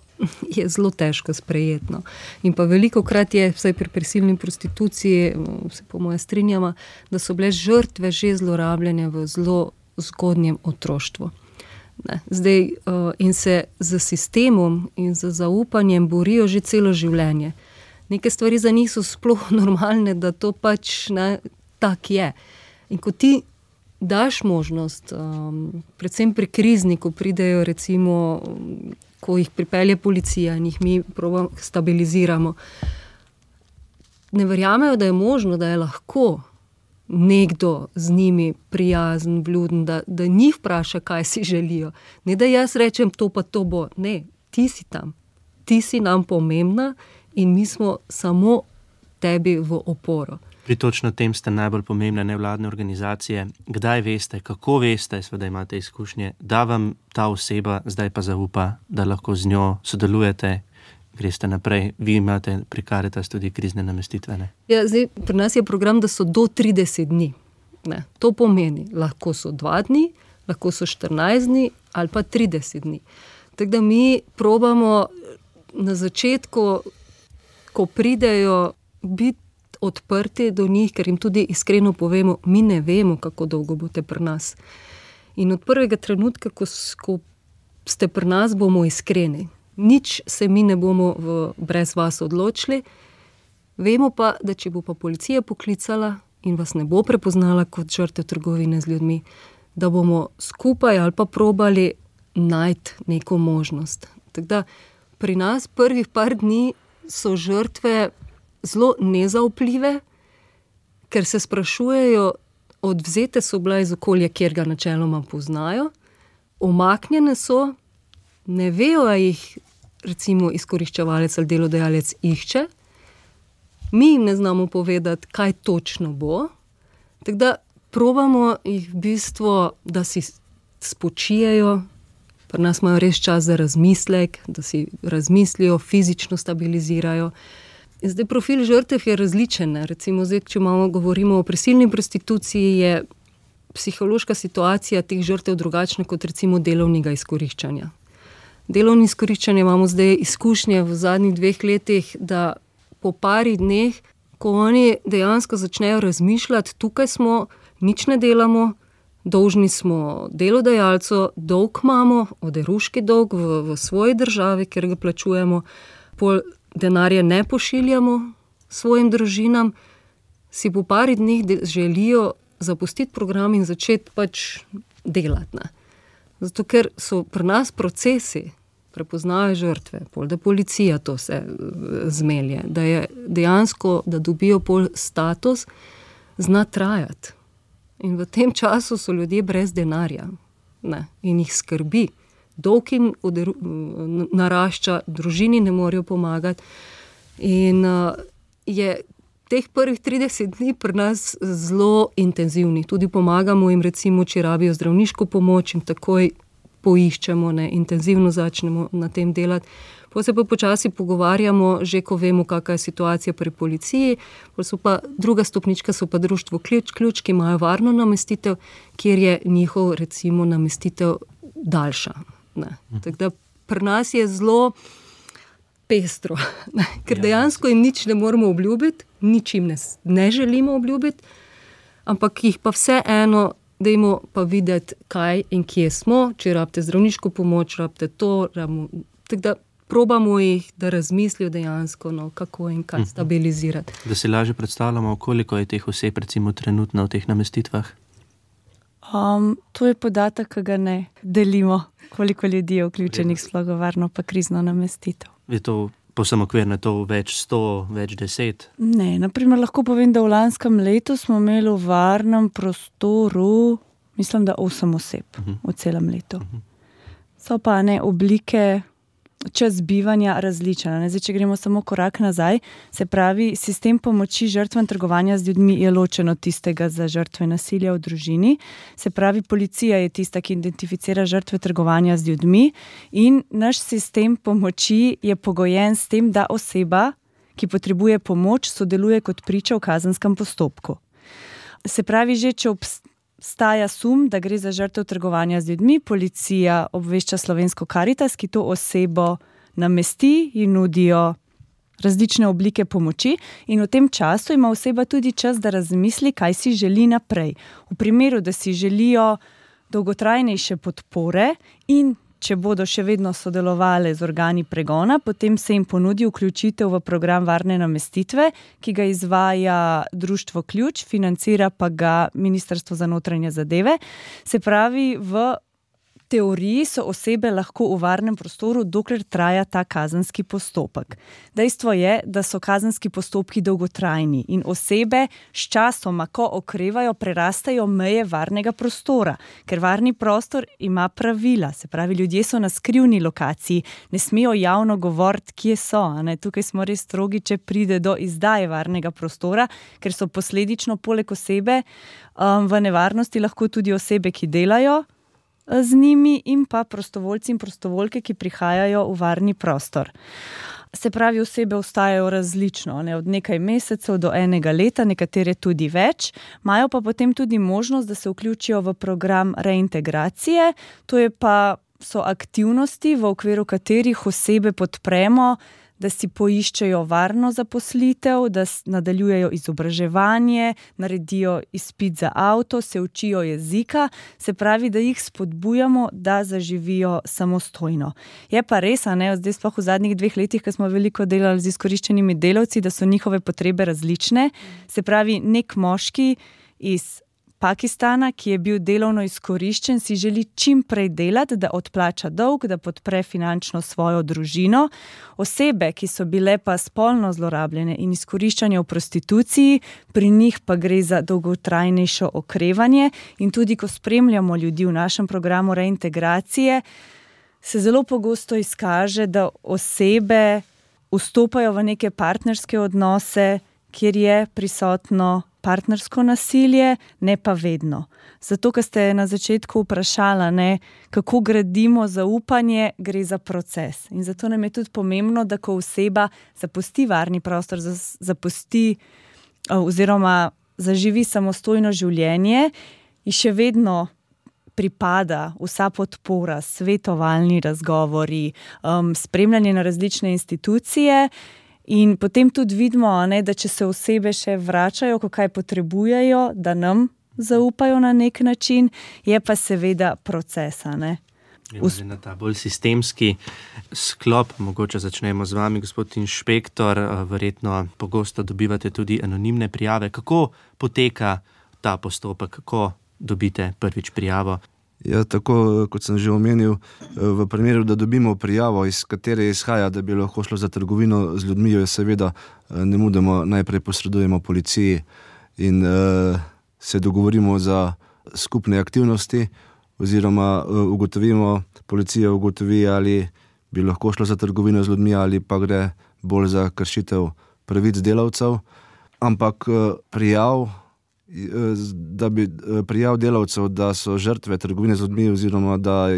je zelo težko sprejetno. In pa veliko krat je, vsaj pri prisilni prostituciji, se po moje strinjama, da so bile žrtve že zlorabljene v zelo zgodnjem otroštvu. Ne. Zdaj, in se z sistemom in z zaupanjem borijo že celo življenje. Neke stvari za njih so sploh normalne, da to pač ne, tak je. In ko ti daš možnost, um, predvsem pri krizni, ko pridejo recimo, ko jih pripelje policija in jih mi probamo stabiliziramo, ne verjamejo, da je možno, da je lahko nekdo z njimi prijazen, vljuden, da, da njih vpraša, kaj si želijo. Ne, da jaz rečem, to pa to bo. Ne, ti si tam. Ti si nam pomembna in mi smo samo tebi v oporo.
Pri točno tem ste najbolj pomembne nevladne organizacije. Kdaj veste, kako veste, seveda imate izkušnje, da vam ta oseba zdaj pa zaupa, da lahko z njo sodelujete, greste naprej. Vi imate pri Karitas tudi krizne namestitve, ne?
Ja, zdaj, pri nas je program, da so do trideset dni. Ne, to pomeni, lahko so dva dni, lahko so štirinajst dni ali pa trideset dni. Tako da mi probamo na začetku, ko pridejo, biti odprti do njih, ker jim tudi iskreno povemo, mi ne vemo, kako dolgo boste pri nas. In od prvega trenutka, ko, ko ste pri nas, bomo iskreni. Nič se mi ne bomo v, brez vas odločili. Vemo pa, da če bo pa policija poklicala in vas ne bo prepoznala kot žrtev trgovine z ljudmi, da bomo skupaj ali pa probali najti neko možnost. Tako da pri nas prvih par dni so žrtve zelo nezaupljive, ker se sprašujejo, odvzete so bila iz okolja, kjer ga načeloma poznajo, omaknjene so, ne vejo, a jih recimo izkoriščevalec ali delodajalec išče, mi jim ne znamo povedati, kaj točno bo, tako da probamo jih v bistvu, da si spočijejo, pri nas imajo res čas za razmislek, da si razmislijo, fizično stabilizirajo. In zdaj profil žrtev je različen. Recimo zdaj, če imamo, govorimo o prisilni prostituciji, je psihološka situacija teh žrtev drugačna kot recimo delovnega izkoriščanja. Delovno izkoriščanje imamo zdaj izkušnje v zadnjih dveh letih, da po pari dneh, ko oni dejansko začnejo razmišljati, tukaj smo, nič ne delamo, dolžni smo delodajalcu, dolg imamo, oderuški dolg v, v svoji državi, ker ga plačujemo, pol denarja ne pošiljamo svojim družinam, si po pari dneh želijo zapustiti program in začeti pač delati. Ne. Zato, ker so pri nas procesi, prepoznajo žrtve, pol, da policija to se zmelje, da je dejansko, da dobijo pol status, zna trajati. In v tem času so ljudje brez denarja, ne, in jih skrbi. Dolg jim narašča, družini ne morejo pomagati. In uh, je teh prvih trideset dni pri nas zelo intenzivni. Tudi pomagamo jim, recimo, če rabijo zdravniško pomoč, in takoj poiščemo, ne, intenzivno začnemo na tem delati. Potem se pa počasi pogovarjamo, že ko vemo, kakva je situacija pri policiji. So pa, druga stopnička so pa društvo Ključ, Ključ, ki imajo varno namestitev, kjer je njihov, recimo, namestitev daljša. Ne. Tako da pri nas je zelo pestro, ne. Ker dejansko jim nič ne moramo obljubiti, nič jim ne, ne želimo obljubiti, ampak jih pa vseeno dajmo pa videti, kaj in kje smo, če rabite zdravniško pomoč, rabite to, rabimo, tako da probamo jih, da razmislijo dejansko, no, kako in kaj stabilizirati.
Da si lažje predstavljamo, koliko je teh oseb recimo trenutno v teh namestitvah?
Um, to je podatek, ki ga ne delimo, koliko ljudi je vključenih sploh v varno pa krizno namestitev.
Je to povsem okvirno, je to več sto, več deset?
Ne, naprimer lahko povem, da v lanskem letu smo imeli v varnem prostoru, mislim, da osem oseb uh-huh. v celem letu. Uh-huh. So pa ne oblike, čas bivanja različna. Ne? Zdaj, če gremo samo korak nazaj, se pravi, sistem pomoči žrtvam trgovanja z ljudmi je ločen od tistega za žrtve nasilja v družini. Se pravi, policija je tista, ki identificira žrtve trgovanja z ljudmi in naš sistem pomoči je pogojen s tem, da oseba, ki potrebuje pomoč, sodeluje kot priča v kazenskem postopku. Se pravi, že če obstaja sum, da gre za žrtev trgovanja z ljudmi, policija obvešča Slovensko Karitas, ki to osebo namesti in nudijo različne oblike pomoči in v tem času ima oseba tudi čas, da razmisli, kaj si želi naprej. V primeru, da si želijo dolgotrajnejše podpore in če bodo še vedno sodelovali z organi pregona, potem se jim ponudi vključitev v program varne namestitve, ki ga izvaja Društvo Ključ, financira pa ga Ministrstvo za notranje zadeve. Se pravi, v teoriji so osebe lahko v varnem prostoru, dokler traja ta kazenski postopek. Dejstvo je, da so kazenski postopki dolgotrajni in osebe s časoma, ko okrevajo, prerastajo meje varnega prostora, ker varni prostor ima pravila, se pravi, ljudje so na skrivni lokaciji, ne smejo javno govoriti, kje so. A ne? Tukaj smo res strogi, če pride do izdaje varnega prostora, ker so posledično poleg osebe um, v nevarnosti lahko tudi osebe, ki delajo z njimi in pa prostovoljci in prostovoljke, ki prihajajo v varni prostor. Se pravi, osebe ostajajo različno, ne, od nekaj mesecev do enega leta, nekatere tudi več, imajo pa potem tudi možnost, da se vključijo v program reintegracije, to je pa so aktivnosti, v okviru katerih osebe podpremo, da si poiščejo varno zaposlitev, da nadaljujejo izobraževanje, naredijo izpit za avto, se učijo jezika, se pravi, da jih spodbujamo, da zaživijo samostojno. Je pa res, a ne, zdaj sploh v zadnjih dveh letih, ko smo veliko delali z izkoriščenimi delavci, da so njihove potrebe različne, se pravi, nek moški iz Pakistana, ki je bil delovno izkoriščen, si želi čim prej delati, da odplača dolg, da podpre finančno svojo družino. Osebe, ki so bile pa spolno zlorabljene in izkoriščanje v prostituciji, pri njih pa gre za dolgotrajnejšo okrevanje in tudi, ko spremljamo ljudi v našem programu reintegracije, se zelo pogosto izkaže, da osebe vstopajo v neke partnerske odnose, kjer je prisotno partnersko nasilje, ne pa vedno. Zato, ker ste na začetku vprašala, ne, kako gradimo zaupanje, gre za proces. In zato nam je tudi pomembno, da ko oseba zapusti varni prostor, zapusti oziroma zaživi samostojno življenje, in še vedno pripada vsa podpora, svetovalni razgovori, um, spremljanje na različne institucije. In potem tudi vidimo, ne, da če se osebe še vračajo, ko kaj potrebujejo, da nam zaupajo na nek način, je pa seveda procesa. Ne.
Us- na ta bolj sistemski sklop, mogoče začnemo z vami, gospod inšpektor, verjetno pogosto dobivate tudi anonimne prijave. Kako poteka ta postopek, ko dobite prvič prijavo?
Ja, tako kot sem že omenil, v primeru, da dobimo prijavo, iz katere izhaja, da bi lahko šlo za trgovino z ljudmi, jo seveda nemudoma najprej posredujemo policiji in uh, se dogovorimo za skupne aktivnosti oziroma uh, ugotovimo, policija ugotovi, ali bi lahko šlo za trgovino z ljudmi ali pa gre bolj za kršitev pravic delavcev. Ampak uh, prijav da bi prijav delavcev, da so žrtve trgovine z ljudmi oziroma da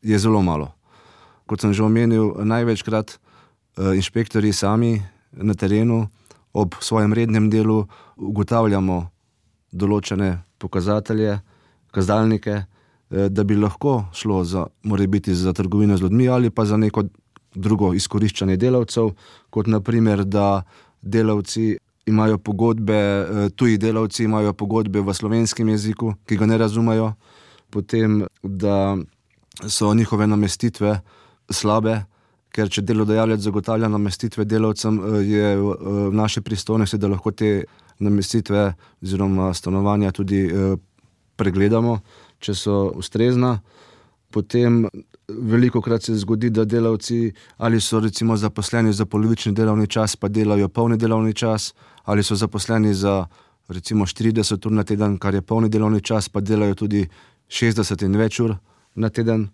je zelo malo. Kot sem že omenil, največkrat inšpektorji sami na terenu ob svojem rednem delu ugotavljamo določene pokazatelje, kazalnike, da bi lahko šlo za, morebiti za trgovino z ljudmi ali pa za neko drugo izkoriščanje delavcev, kot na primer, da delavci imajo pogodbe, tuji delavci imajo pogodbe v slovenskem jeziku, ki ga ne razumejo, potem, da so njihove namestitve slabe, ker če delodajalec zagotavlja namestitve delavcem, je v naši pristojnosti, da lahko te namestitve oziroma stanovanja tudi pregledamo, če so ustrezna. Potem velikokrat se zgodi, da delavci ali so recimo zaposleni za polovični delovni čas, pa delajo polni delovni čas, ali so zaposleni za recimo štirideset ur na teden, kar je polni delovni čas, pa delajo tudi šestdeset in več ur na teden.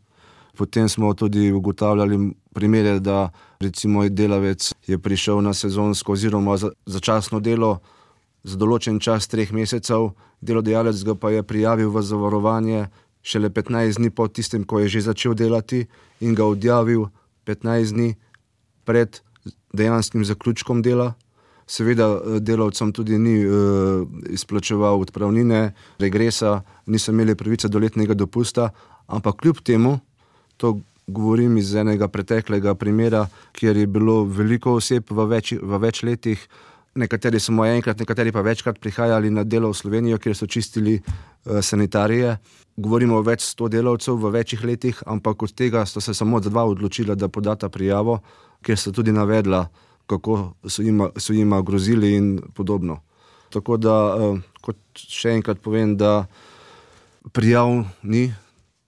Potem smo tudi ugotavljali primere, da recimo delavec je prišel na sezonsko oziroma za, začasno delo za določen čas treh mesecev, delodajalec ga pa je prijavil v zavarovanje šele petnajst dni po tistem, ko je že začel delati in ga odjavil petnajst dni pred dejanskim zaključkom dela. Seveda delavcem tudi ni uh, izplačeval odpravnine, regresa, niso imeli pravice do letnega dopusta, ampak kljub temu, to govorim iz enega preteklega primera, kjer je bilo veliko oseb v več, v več letih, nekateri samo enkrat, nekateri pa večkrat prihajali na delo v Slovenijo, kjer so čistili uh, sanitarije. Govorimo o več sto delavcev v večjih letih, ampak od tega sta se samo dva odločila, da podata prijavo, kjer sta tudi navedla, kako so jima, so jima grozili in podobno. Tako da, uh, kot še enkrat povem, da prijav ni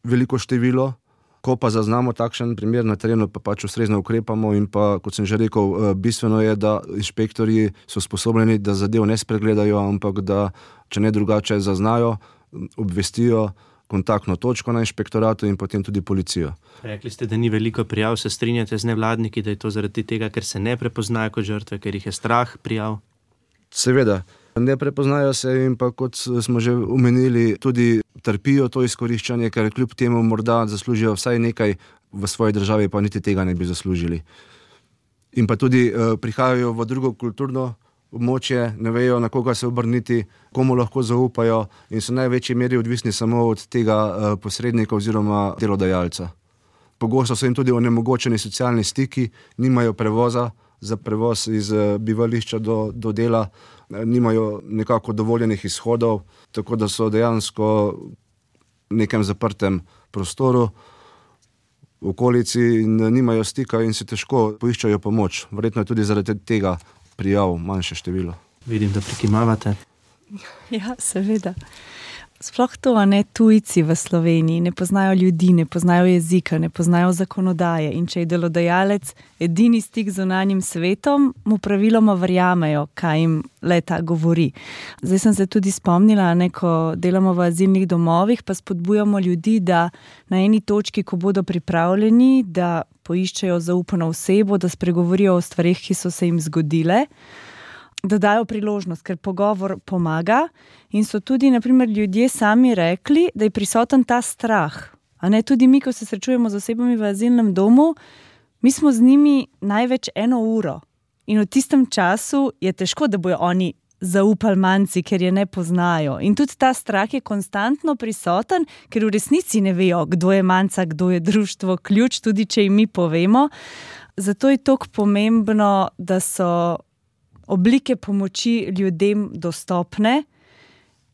veliko število, ko pa zaznamo takšen primer na terenu, pa pač ustrezno ukrepamo in pa, kot sem že rekel, bistveno je, da inšpektorji so sposobljeni, da zadev ne spregledajo, ampak da, če ne drugače zaznajo, obvestijo kontaktno točko na inšpektoratu in potem tudi policijo.
Rekli ste, da ni veliko prijav, se strinjate z nevladniki, da je to zaradi tega, ker se ne prepoznajo kot žrtve, ker jih je strah prijav?
Seveda. Ne prepoznajo se in pa, kot smo že omenili, tudi trpijo to izkoriščanje, ker kljub temu morda zaslužijo vsaj nekaj v svoji državi, pa niti tega ne bi zaslužili. In pa tudi eh, prihajajo v drugo kulturno območje, ne vejo, na koga se obrniti, komu lahko zaupajo in so v največji meri odvisni samo od tega eh, posrednika oziroma delodajalca. Pogosto so jim tudi onemogočeni socialni stiki, nimajo prevoza za prevoz iz eh, bivališča do, do dela, nimajo nekako dovoljenih izhodov, tako da so dejansko v nekem zaprtem prostoru v okolici in nimajo stika in si težko poiščajo pomoč. Verjetno je tudi zaradi tega prijav manjše število.
Vidim, da prikimavate.
Ja, seveda. Sploh to, a ne, tujci v Sloveniji ne poznajo ljudi, ne poznajo jezika, ne poznajo zakonodaje in če je delodajalec edini stik z zunanjim svetom, mu praviloma verjamejo, kaj jim leta govori. Zdaj sem se tudi spomnila, ne, ko delamo v azilnih domovih, pa spodbujamo ljudi, da na eni točki, ko bodo pripravljeni, da poiščejo zaupano osebo, da spregovorijo o stvarih, ki so se jim zgodile, da dajo priložnost, ker pogovor pomaga in so tudi, na primer, ljudje sami rekli, da je prisoten ta strah. A ne, tudi mi, ko se srečujemo z osebami v azilnem domu, mi smo z njimi največ eno uro in v tistem času je težko, da bojo oni zaupali manjci, ker je ne poznajo. In tudi ta strah je konstantno prisoten, ker v resnici ne vejo, kdo je manjca, kdo je društvo ključ, tudi če jim mi povemo. Zato je toliko pomembno, da so oblike pomoči ljudem dostopne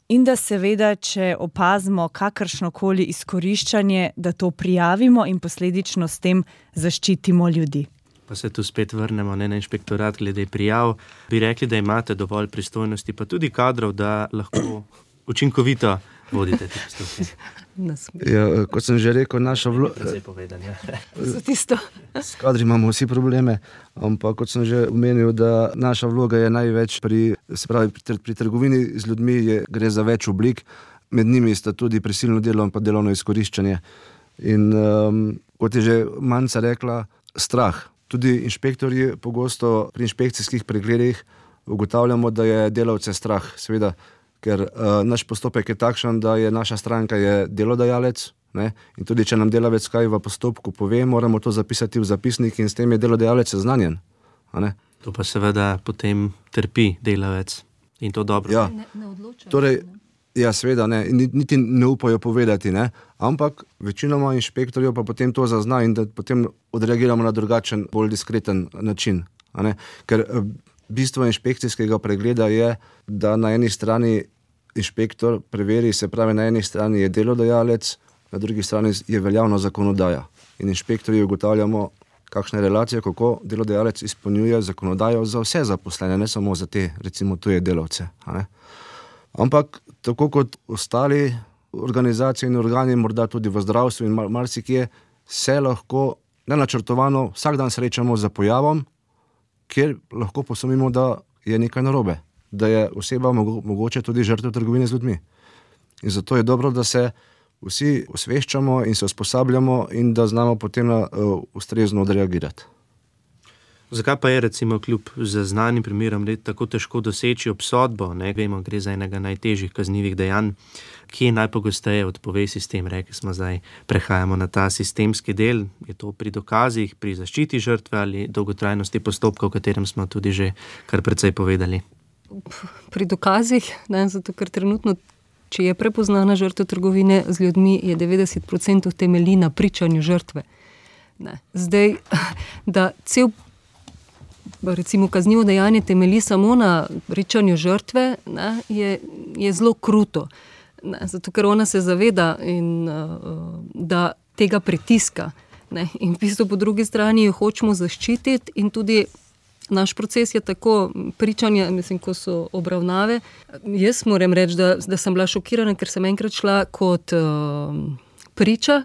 in da seveda, če opazimo kakršnokoli izkoriščanje, da to prijavimo in posledično s tem zaščitimo ljudi.
Pa se tu spet vrnemo, ne, na inšpektorat glede prijav. Bi rekli, da imate dovolj pristojnosti, pa tudi kadrov, da lahko učinkovito vodite te postopke.
Ja, kot sem že rekel, naša vloga... S kadri imamo vsi probleme, ampak kot sem že omenil, da naša vloga je največ pri, se pravi, pri, pri trgovini z ljudmi, je, gre za več oblik, med njimi sta tudi prisilno delo in pa delovno izkoriščanje. In um, kot je že Manca rekla, strah. Tudi inšpektorji pogosto pri inšpekcijskih pregledih ugotavljamo, da je delavce strah, seveda, ker uh, naš postopek je takšen, da je naša stranka je delodajalec, ne? In tudi če nam delavec kaj v postopku pove, moramo to zapisati v zapisnik in s tem je delodajalec seznanjen.
To pa seveda potem trpi delavec in to dobro.
Ja,
Ne, ne odločajo.
torej, ja, seveda ne, niti ne upajo povedati, ne? Ampak večinoma inšpektorjev pa potem to zazna in da potem odreagiramo na drugačen, bolj diskreten način. A ne? Ker bistvo inšpekcijskega pregleda je, da na eni strani inšpektor preveri, se pravi, na eni strani je delodajalec, na drugi strani je veljavna zakonodaja. In inšpektorji ugotavljamo, kakšne relacije, kako delodajalec izpolnjuje zakonodajo za vse zaposlene, ne samo za te, recimo, tuje delavce. A ne? Ampak tako kot ostali organizacije in organi, morda tudi v zdravstvu in mar- marsikje, se lahko nenačrtovano vsak dan srečamo za pojavom, kjer lahko posumimo, da je nekaj narobe, da je oseba mogo- mogoče tudi žrtev trgovine z ljudmi. In zato je dobro, da se vsi osveščamo in se usposabljamo in da znamo potem na, uh, ustrezno odreagirati.
Zakaj pa je recimo kljub zaznanim primerom red tako težko doseči obsodbo? Ne? Vemo, gre za enega najtežjih kaznivih dejanj, ki najpogosteje odpove sistem. Rekli smo zdaj, prehajamo na ta sistemski del. Je to pri dokazih, pri zaščiti žrtve ali dolgotrajnosti postopka, o katerem smo tudi že kar precej povedali?
Pri dokazih, ne, zato ker trenutno, če je prepoznana žrtev trgovine z ljudmi, je devetdeset procentov temelji na pričanju žrtve. Ne. Zdaj, da cel recimo kaznivo dejanje temelji samo na pričanju žrtve, ne, je, je zelo kruto. Ne, zato ker ona se zaveda, in, uh, da tega pritiska. Ne, in v bistvu po drugi strani jo hočemo zaščititi in tudi naš proces je tako pričanja, mislim, ko so obravnave. Jaz moram reči, da, da sem bila šokirana, ker sem enkrat šla kot uh, priča,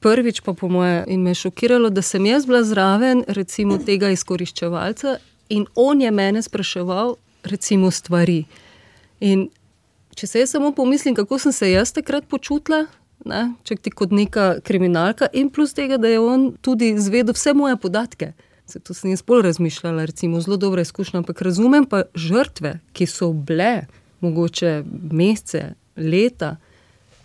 prvič pa po moje, in me je šokiralo, da sem jaz bila zraven recimo tega izkoriščevalca in on je mene spraševal recimo stvari. In če se jaz samo pomislim, kako sem se jaz takrat počutila, ne, če ti kot neka kriminalka, in plus tega, da je on tudi izvedel vse moje podatke. Zato sem jaz bolj razmišljala, recimo zelo dobra izkušnja, ampak razumem pa žrtve, ki so bile mogoče mesece, leta,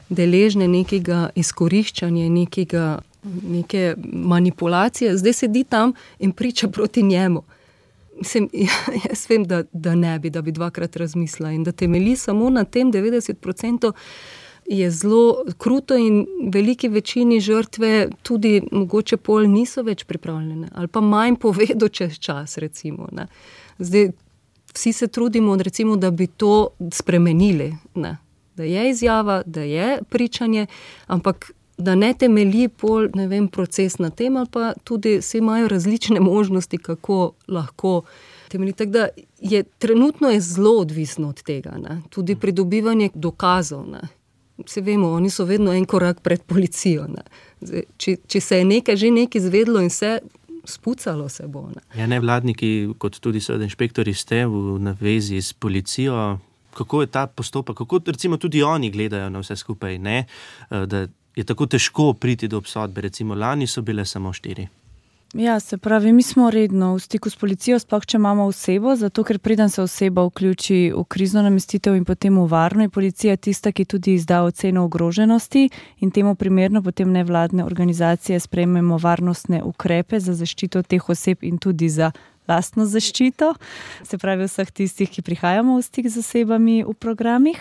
deležne nekega izkoriščanja, nekega, neke manipulacije, zdaj sedi tam in priča proti njemu. Mislim, jaz vem, da, da ne bi, da bi dvakrat razmislila in da temelji samo na tem devetdeset procentov je zelo kruto in veliki večini žrtve tudi mogoče pol niso več pripravljene ali pa manj povedo čez čas, recimo. Ne. Zdaj, vsi se trudimo, recimo, da bi to spremenili, ne. Da je izjava, da je pričanje, ampak da ne temelji pol, ne vem, proces na tem, ali pa tudi vsi imajo različne možnosti, kako lahko temelji. Tako da je trenutno je zelo odvisno od tega, ne. Tudi pridobivanje dokazov, ne. Vsi vemo, oni so vedno en korak pred policijo, ne. Zdaj, če, če se je nekaj že nekaj izvedlo in vse, spucalo se bo, ne.
Ja, nevladniki, kot tudi seveda inšpektori, ste v navezi s policijo. Kako je ta postopek, kako recimo tudi oni gledajo na vse skupaj, ne? Da je tako težko priti do obsodbe, recimo lani so bile samo štiri.
Ja, se pravi, mi smo redno v stiku s policijo, sploh če imamo osebo, zato ker preden se oseba vključi v krizno namestitev in potem v varno, je policija tista, ki tudi izda oceno ogroženosti in temu primerno potem nevladne organizacije sprejmemo varnostne ukrepe za zaščito teh oseb in tudi za lastno zaščito, se pravi vseh tistih, ki prihajamo v stik z osebami v programih.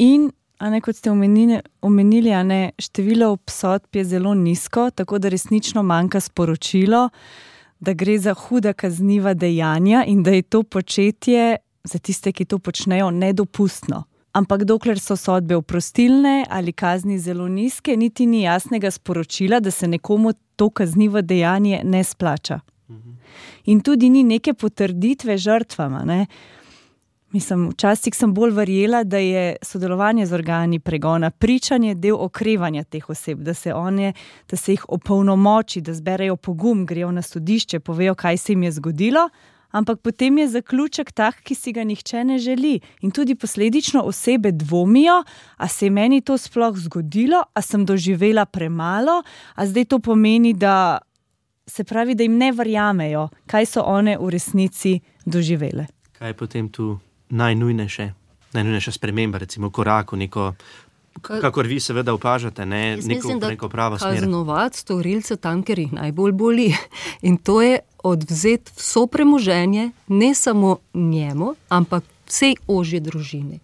In, a ne, kot ste omenili, omenili a ne, število obsodb je zelo nizko, tako da resnično manjka sporočilo, da gre za huda kazniva dejanja in da je to početje za tiste, ki to počnejo, nedopustno. Ampak dokler so sodbe oprostilne ali kazni zelo nizke, niti ni jasnega sporočila, da se nekomu to kaznivo dejanje ne splača. In tudi ni neke potrditve žrtvama, ne. Mislim, včasih sem bolj verjela, da je sodelovanje z organi pregona, pričanje del okrevanja teh oseb, da se one, da se jih opolnomoči, da zberejo pogum, grejo na sodišče, povejo, kaj se jim je zgodilo, ampak potem je zaključek tak, ki si ga nihče ne želi. In tudi posledično osebe dvomijo, a se je meni to sploh zgodilo, a sem doživela premalo, a zdaj to pomeni, da se pravi, da jim ne verjamejo, kaj so one v resnici doživele.
Kaj je potem tu najnujnejše, najnujnejša sprememba, recimo korak v neko, kakor vi seveda opažate, ne, neko,
mislim,
neko pravo smer.
Kaznovati storilce tam, ker jih najbolj boli. In to je odvzeti vso premoženje, ne samo njemu, ampak vsej ožji družini.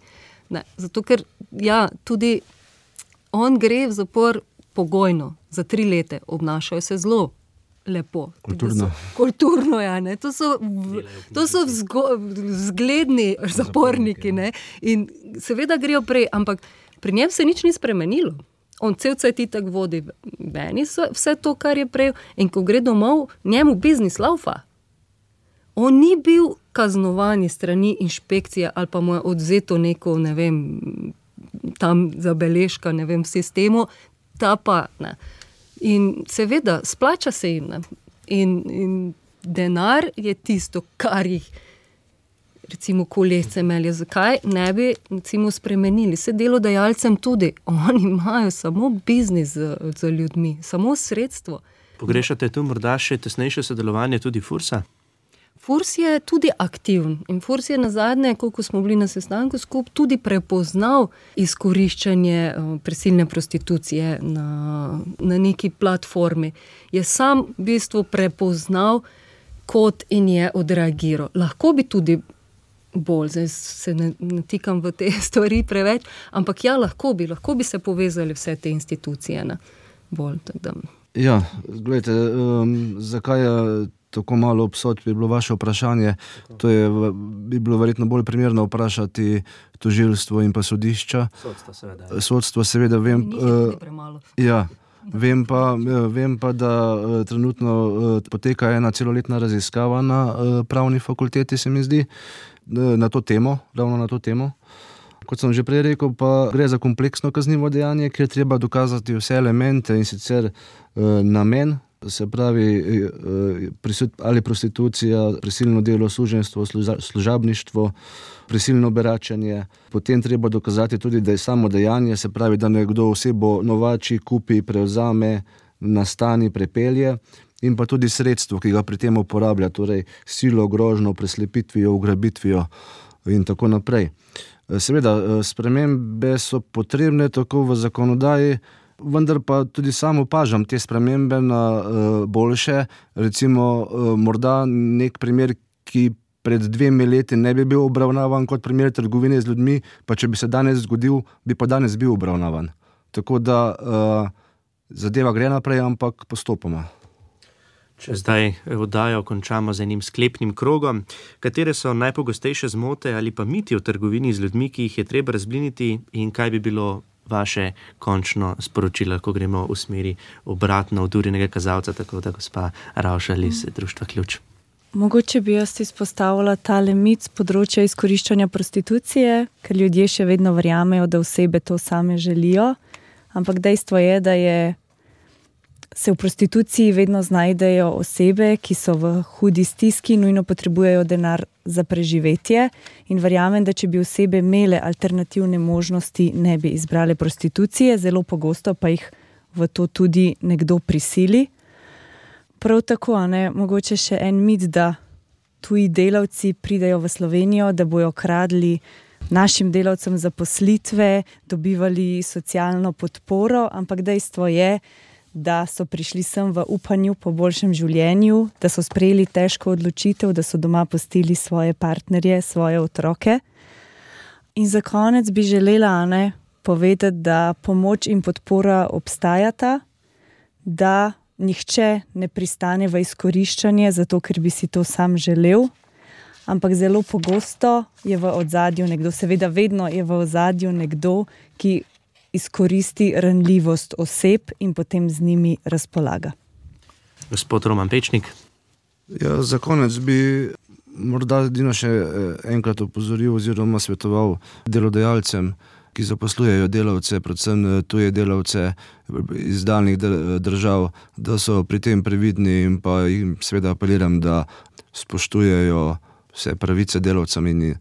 Ne, zato ker, ja, tudi on gre v zapor pogojno, za tri leta, obnašajo se zelo lepo.
Kulturno.
So, kulturno, ja. Ne? To so, v, to so vzgo, vzgledni zaporniki. Ne? In seveda grejo prej, ampak pri njem se nič ni spremenilo. On cel cajt itak vodi meni vse to, kar je prej. In ko gre domov, njemu biznis laufa. On ni bil kaznovan strani inšpekcije ali pa mu je odzeto neko, ne vem, tam zabeležka, ne vem, v sistemu, ta pa, ne. In seveda, splača se jim, ne. In, in denar je tisto, kar jih, recimo, kolesce melje. Zakaj ne bi, recimo, spremenili? Se delodajalcem tudi, oni imajo samo biznis z, z ljudmi, samo sredstvo.
Pogrešate tu morda še tesnejše sodelovanje tudi Fursa?
Furs je tudi aktiven in Furs je nazadnje, koliko smo bili na sestanku skup, tudi prepoznal izkoriščanje prisilne prostitucije na, na neki platformi. Je sam v bistvu prepoznal kot in je odreagiral. Lahko bi tudi bolj, zdaj se ne, ne tikam v te stvari preveč, ampak ja, lahko bi, lahko bi se povezali vse te institucije, ne, bolj, tako da.
Ja, gledajte, um, zakaj je tako malo obsodb, bi bilo vaše vprašanje. To je, bi bilo verjetno bolj primerno vprašati tožilstvo in pa sodišča.
Sodstvo seveda.
Sodstvo seveda, vem,
Ni premalo.
ja, vem pa, vem pa, da trenutno poteka ena celoletna raziskava na pravni fakulteti, se mi zdi, na to temo, ravno na to temo. Kot sem že prej rekel, pa gre za kompleksno kaznivo dejanje, kjer treba dokazati vse elemente in sicer namen, se pravi ali prostitucija, prisilno delo, suženjstvo, služabništvo, prisilno beračenje. Potem treba dokazati tudi, da je samo dejanje, se pravi, da nekdo osebo novači, kupi, prevzame, nastani, prepelje in pa tudi sredstvo, ki ga pri tem uporablja, torej silo, grožnjo, preslepitvijo, ugrabitvijo in tako naprej. Seveda, spremembe so potrebne tako v zakonodaji, vendar pa tudi sam opažam te spremembe na uh, boljše. Recimo, uh, morda nek primer, ki pred dvemi leti ne bi bil obravnavan kot primer trgovine z ljudmi, pa če bi se danes zgodil, bi pa danes bil obravnavan. Tako da uh, zadeva gre naprej, ampak postopoma.
Če zdaj oddajo končamo z enim sklepnim krogom, katere so najpogostejše zmote ali pa miti o trgovini z ljudmi, ki jih je treba razbliniti in kaj bi bilo vaše končno sporočilo, ko gremo v smeri obratno od Urinega kazalca, tako da gospa Ravšal iz Društva Ključ.
Mogoče bi jaz izpostavila tale mit z področja izkoriščanja prostitucije, ker ljudje še vedno verjamejo, da osebe to same želijo, ampak dejstvo je, da je se v prostituciji vedno znajdejo osebe, ki so v hudi stiski, nujno potrebujejo denar za preživetje in verjamem, da če bi osebe imele alternativne možnosti, ne bi izbrale prostitucije, zelo pogosto pa jih v to tudi nekdo prisili. Prav tako, ne, mogoče še en mit, da tuji delavci pridejo v Slovenijo, da bojo kradli našim delavcem zaposlitve, dobivali socialno podporo, ampak dejstvo je, da so prišli sem v upanju po boljšem življenju, da so sprejeli težko odločitev, da so doma pustili svoje partnerje, svoje otroke. In za konec bi želela, ne, povedati, da pomoč in podpora obstajata, da nihče ne pristane v izkoriščanje, zato ker bi si to sam želel, ampak zelo pogosto je v ozadju nekdo, seveda vedno je v ozadju nekdo, ki izkoristi ranljivost oseb in potem z njimi razpolaga.
Gospod Roman Pečnik.
Ja, za konec bi morda edino še enkrat opozoril oziroma svetoval delodajalcem, ki zaposlujejo delavce, predvsem tuje delavce iz daljnih držav, da so pri tem previdni in pa jim seveda apeliram, da spoštujejo vse pravice delavcem in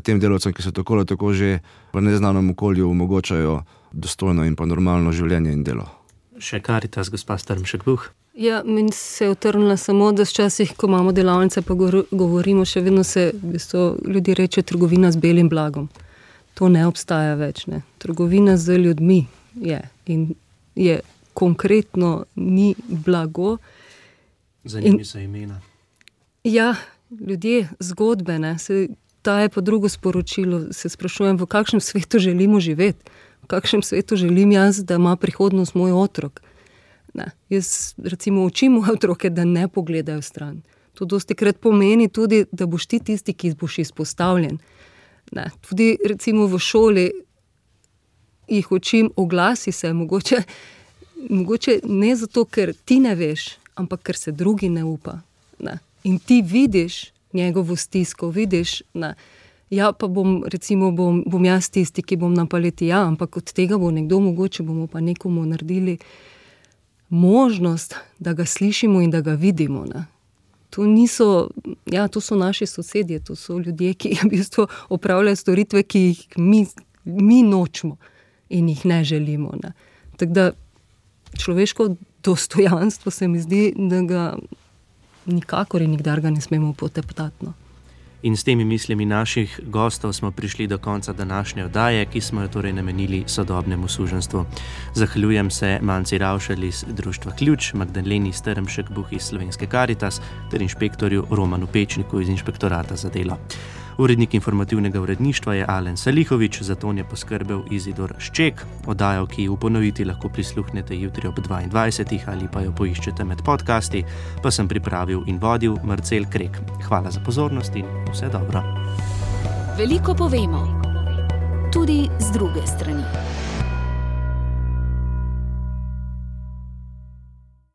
tem delavcem, ki so tako ali tako že v neznanem okolju omogočajo dostojno in pa normalno življenje in delo.
Še Karitas, gospa Strmšek-Buh.
Ja, meni se je utrnila samo, da včasih, ko imamo delavnice, pa govorimo, še vedno se v bistvu ljudi reče trgovina z belim blagom. To ne obstaja več, ne. Trgovina z ljudmi je in je konkretno ni blago.
Za njimi so imena.
Ja, ljudje, zgodbe, ne, se daje pa drugo sporočilo, se sprašujem, v kakšnem svetu želimo živeti, v kakšnem svetu želim jaz, da ima prihodnost moj otrok. Ne. Jaz recimo učim otroke, da ne pogledajo stran. To dostikrat pomeni tudi, da boš ti tisti, ki boš izpostavljen. Ne. Tudi recimo v šoli jih učim, oglasi se, mogoče, mogoče ne zato, ker ti ne veš, ampak ker se drugi ne upa. Ne. In ti vidiš njegovo stisko, vidiš, ne. Ja, pa bom, recimo, bom, bom jaz tisti, ki bom na paleti, ja, ampak od tega bo nekdo, mogoče bomo pa nekomu naredili možnost, da ga slišimo in da ga vidimo. Ne. To niso, ja, to so naši sosedje, to so ljudje, ki v bistvu opravljajo storitve, ki jih mi, mi nočemo in jih ne želimo. Ne. Tako da človeško dostojanstvo se mi zdi, da ga nikakor in nikdar ga ne smemo poteptati. No.
In s temi mislimi naših gostov smo prišli do konca današnje oddaje, ki smo jo torej namenili sodobnemu suženjstvu. Zahvaljujem se Manci Ravšelj iz Društva Ključ, Magdaleni Strmšek-Buh iz Slovenske Karitas ter inšpektorju Romanu Pečniku iz Inšpektorata za delo. Urednik informativnega uredništva je Alen Salihovič, za ton je poskrbel Izidor Šček. Oddajo, ki v ponoviti lahko prisluhnete jutri ob dvaindvajsetih ali pa jo poiščete med podcasti, pa sem pripravil in vodil Marcel Krek. Hvala za pozornost in vse dobro.
Veliko povemo, tudi z druge strani.